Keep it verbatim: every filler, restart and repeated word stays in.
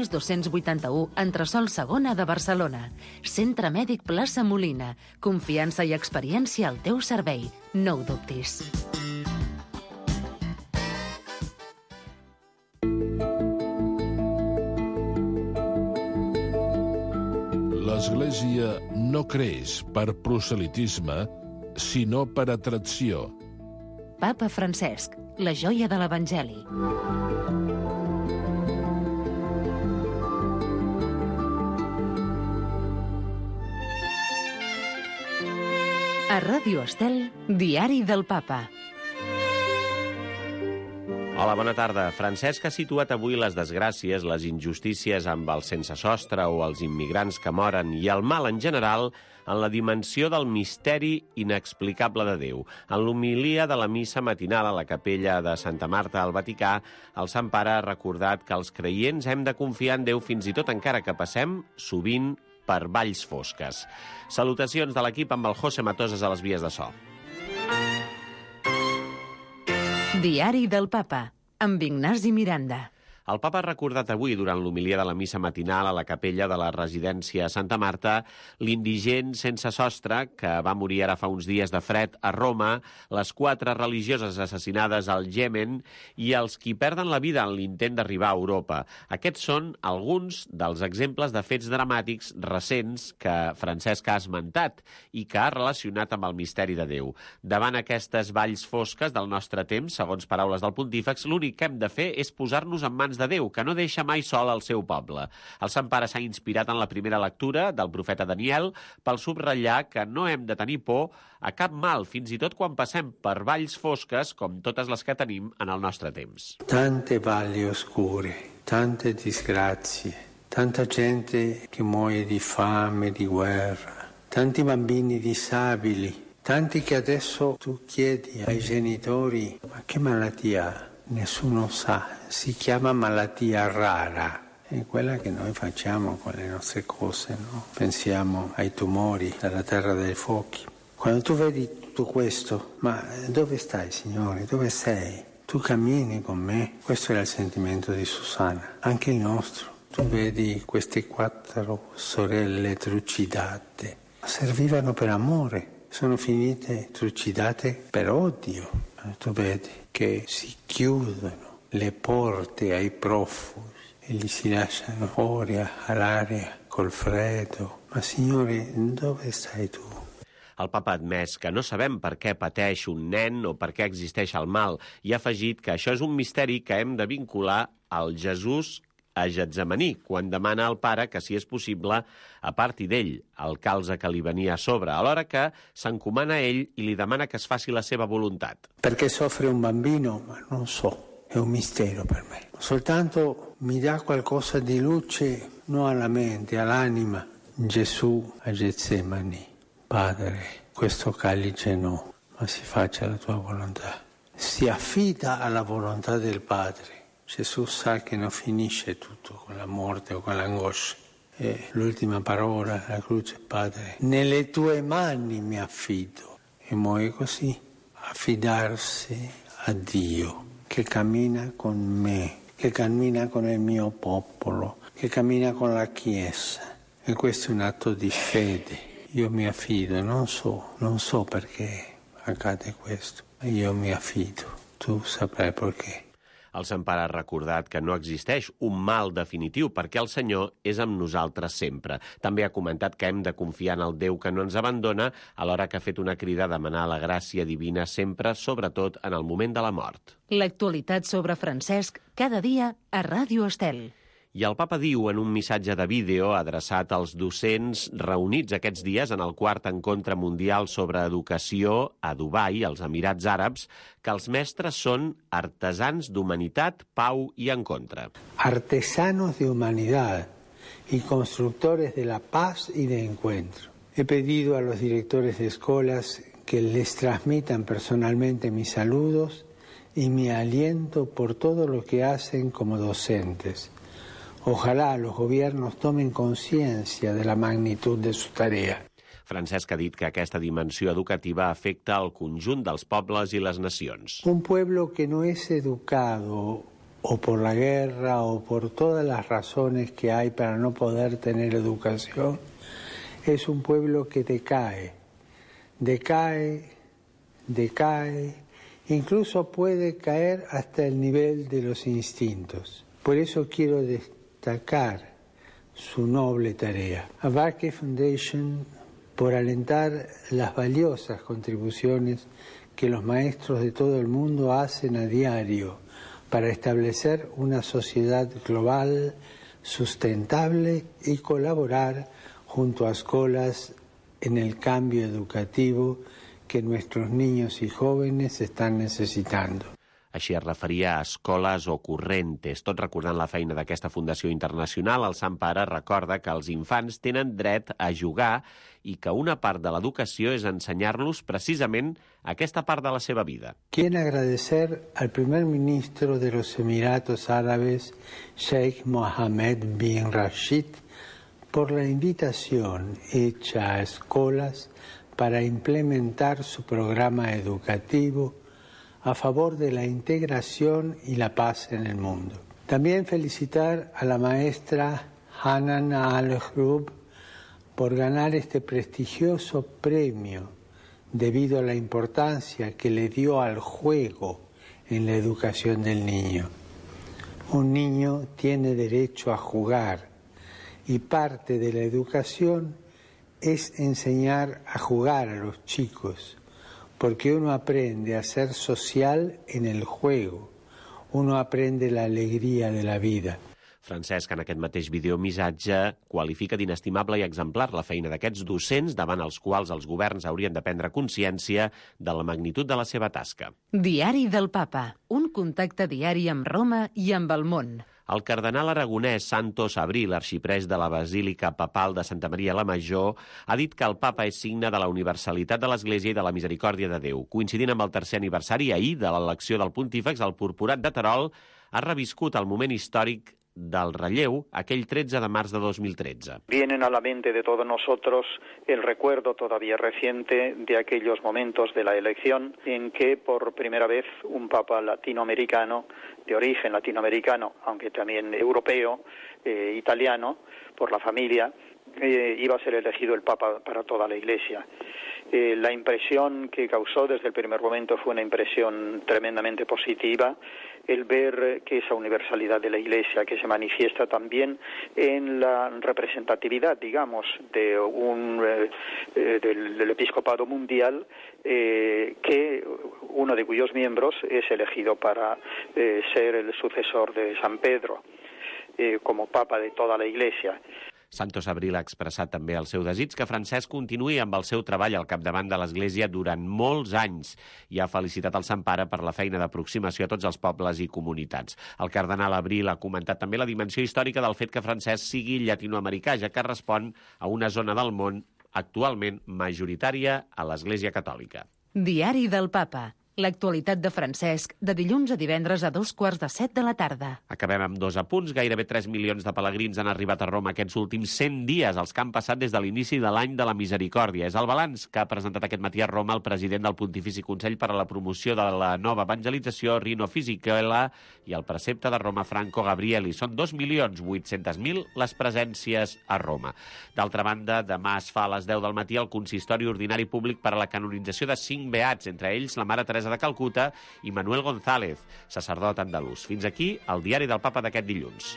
dos-cents vuitanta-u, entresòl Segona de Barcelona. Centre Mèdic Plaça Molina. Confiança i experiència al teu servei. No ho dubtis. L'Església no creix per proselitisme, sinó per atracció. Papa Francesc, la joia de l'Evangeli. A Ràdio Estel, Diari del Papa. Hola, bona tarda. Francesc ha situat avui les desgràcies, les injustícies amb el sense sostre o els immigrants que moren i el mal en general en la dimensió del misteri inexplicable de Déu. En l'homilia de la missa matinal a la capella de Santa Marta al Vaticà, el Sant Pare ha recordat que els creients hem de confiar en Déu fins i tot encara que passem, sovint, per valls fosques. Salutacions de l'equip amb el José Matoses a les vies de so. Diari del Papa, amb Ignasi Miranda. El papa ha recordat avui, durant l'homilia de la missa matinal a la capella de la residència Santa Marta, l'indigent sense sostre que va morir ara fa uns dies de fred a Roma, les quatre religioses assassinades al Iemen i els qui perden la vida en l'intent d'arribar a Europa. Aquests són alguns dels exemples de fets dramàtics recents que Francesc ha esmentat i que ha relacionat amb el misteri de Déu. Davant aquestes valls fosques del nostre temps, segons paraules del pontífex, l'únic que hem de fer és posar-nos en mans de Déu, que no deixa mai sol el seu poble. El Sant Pare s'ha inspirat en la primera lectura del profeta Daniel pel subratllar que no hem de tenir por a cap mal, fins i tot quan passem per valls fosques com totes les que tenim en el nostre temps. Tante valli oscure, tante disgrazie, tanta gente che muore di fame, di guerra, tanti bambini disabili, tanti che adesso tu chiedi ai genitori ma che malattia ha? Nessuno sa, si chiama malattia rara, è quella che noi facciamo con le nostre cose, no? Pensiamo ai tumori, alla terra dei fuochi. Quando tu vedi tutto questo, ma dove stai, Signore? Dove sei? Tu cammini con me? Questo era il sentimento di Susanna, anche il nostro. Tu vedi queste quattro sorelle trucidate, servivano per amore, sono finite trucidate per odio. Tu vedi che si chiudono le porte ai profughi e li si lasciano fuori all'aria col freddo. Ma Signore, dove stai tu? El papa ha admès que no sabem per què pateix un nen o per què existeix el mal i ha afegit que això és un misteri que hem de vincular al Jesús a Getsemaní, quan demana al pare que, si és possible, aparti d'ell el calze que li venia a sobre, alhora que s'encomana a ell i li demana que es faci la seva voluntat. Perché soffre un bambino? Ma non so, è un mistero per me. Soltanto mi dà qualcosa di luce, non alla mente, all'anima. Gesù a Getsemani, Padre, questo calice no, ma si faccia la tua volontà. Si affida alla volontà del Padre. Gesù sa che non finisce tutto con la morte o con l'angoscia. E l'ultima parola, la croce, Padre, nelle tue mani mi affido. E muore così, affidarsi a Dio, che cammina con me, che cammina con il mio popolo, che cammina con la Chiesa. E questo è un atto di fede. Io mi affido, non so, non so perché accade questo, ma io mi affido. Tu saprai perché. El Sant Pare ha recordat que no existeix un mal definitiu perquè el Senyor és amb nosaltres sempre. També ha comentat que hem de confiar en el Déu que no ens abandona, alhora que ha fet una crida a demanar la gràcia divina sempre, sobretot en el moment de la mort. L'actualitat sobre Francesc, cada dia a Ràdio Estel. I el papa diu en un missatge de vídeo adreçat als docents reunits aquests dies en el quart encontre mundial sobre educació a Dubai, als Emirats Àrabs, que els mestres són artesans d'humanitat, pau i encontre. Artesanos de humanidad y constructores de la paz y de encuentro. He pedido a los directores de escuelas que les transmitan personalmente mis saludos y mi aliento por todo lo que hacen como docentes. Ojalá los gobiernos tomen conciencia de la magnitud de su tarea. Francesc ha dit que aquesta dimensió educativa afecta el conjunt dels pobles i les nacions. Un pueblo que no es educado o por la guerra o por todas las razones que hay para no poder tener educación, es un pueblo que decae, decae, decae, incluso puede caer hasta el nivel de los instintos. Por eso quiero destacar su noble tarea. Abarque Foundation por alentar las valiosas contribuciones que los maestros de todo el mundo hacen a diario para establecer una sociedad global, sustentable y colaborar junto a escuelas en el cambio educativo que nuestros niños y jóvenes están necesitando. Així es referia a Escoles Ocorrentes. Tot recordant la feina d'aquesta fundació internacional, el Sant Pare recorda que els infants tenen dret a jugar i que una part de l'educació és ensenyar-los precisament aquesta part de la seva vida. Quiero agradecer al primer ministro de los Emiratos Árabes, Sheikh Mohammed bin Rashid, por la invitación hecha a escuelas para implementar su programa educativo a favor de la integración y la paz en el mundo. También felicitar a la maestra Hanan Al-Hrub por ganar este prestigioso premio debido a la importancia que le dio al juego en la educación del niño. Un niño tiene derecho a jugar y parte de la educación es enseñar a jugar a los chicos, porque uno aprende a ser social en el juego, uno aprende la alegría de la vida. Francesc, en aquest mateix videomissatge, qualifica d'inestimable i exemplar la feina d'aquests docents davant els quals els governs haurien de prendre consciència de la magnitud de la seva tasca. Diari del Papa, un contacte diari amb Roma i amb el món. El cardenal aragonès Santos Abril, arxiprès de la Basílica Papal de Santa Maria la Major, ha dit que el papa és signe de la universalitat de l'Església i de la misericòrdia de Déu. Coincidint amb el tercer aniversari ahir de l'elecció del pontífex, el purpurat de Terol ha reviscut el moment històric del relleu aquell tretze de març de dos mil tretze. Vienen a la mente de todos nosotros el recuerdo todavía reciente de aquellos momentos de la elección en que por primera vez un papa latinoamericano, de origen latinoamericano, aunque también europeo, eh, italiano, por la familia, eh, iba a ser elegido el papa para toda la Iglesia. Eh, la impresión que causó desde el primer momento fue una impresión tremendamente positiva, el ver que esa universalidad de la Iglesia, que se manifiesta también en la representatividad, digamos, de un eh, del, del episcopado mundial, eh, que uno de cuyos miembros es elegido para eh, ser el sucesor de San Pedro, eh, como papa de toda la Iglesia. Santos Abril ha expressat també el seu desig que Francesc continuï amb el seu treball al capdavant de l'Església durant molts anys i ha felicitat el Sant Pare per la feina d'aproximació a tots els pobles i comunitats. El cardenal Abril ha comentat també la dimensió històrica del fet que Francesc sigui llatinoamericà, ja que respon a una zona del món actualment majoritària a l'Església Catòlica. Diari del Papa. L'actualitat de Francesc, de dilluns a divendres a dos quarts de set de la tarda. Acabem amb dos apunts. Gairebé tres milions de pelegrins han arribat a Roma aquests últims cent dies, els que han passat des de l'inici de l'any de la misericòrdia. És el balanç que ha presentat aquest matí a Roma el president del Pontifici Consell per a la Promoció de la Nova Evangelització, Rino Fisichella, i el precepte de Roma, Franco Gabrieli. Són dos milions vuit-cents mil les presències a Roma. D'altra banda, demà es fa a les deu del matí el consistori ordinari públic per a la canonització de cinc beats, entre ells la Mare Teresa de Calcuta i Manuel González, sacerdot andalús. Fins aquí el diari del Papa d'aquest dilluns.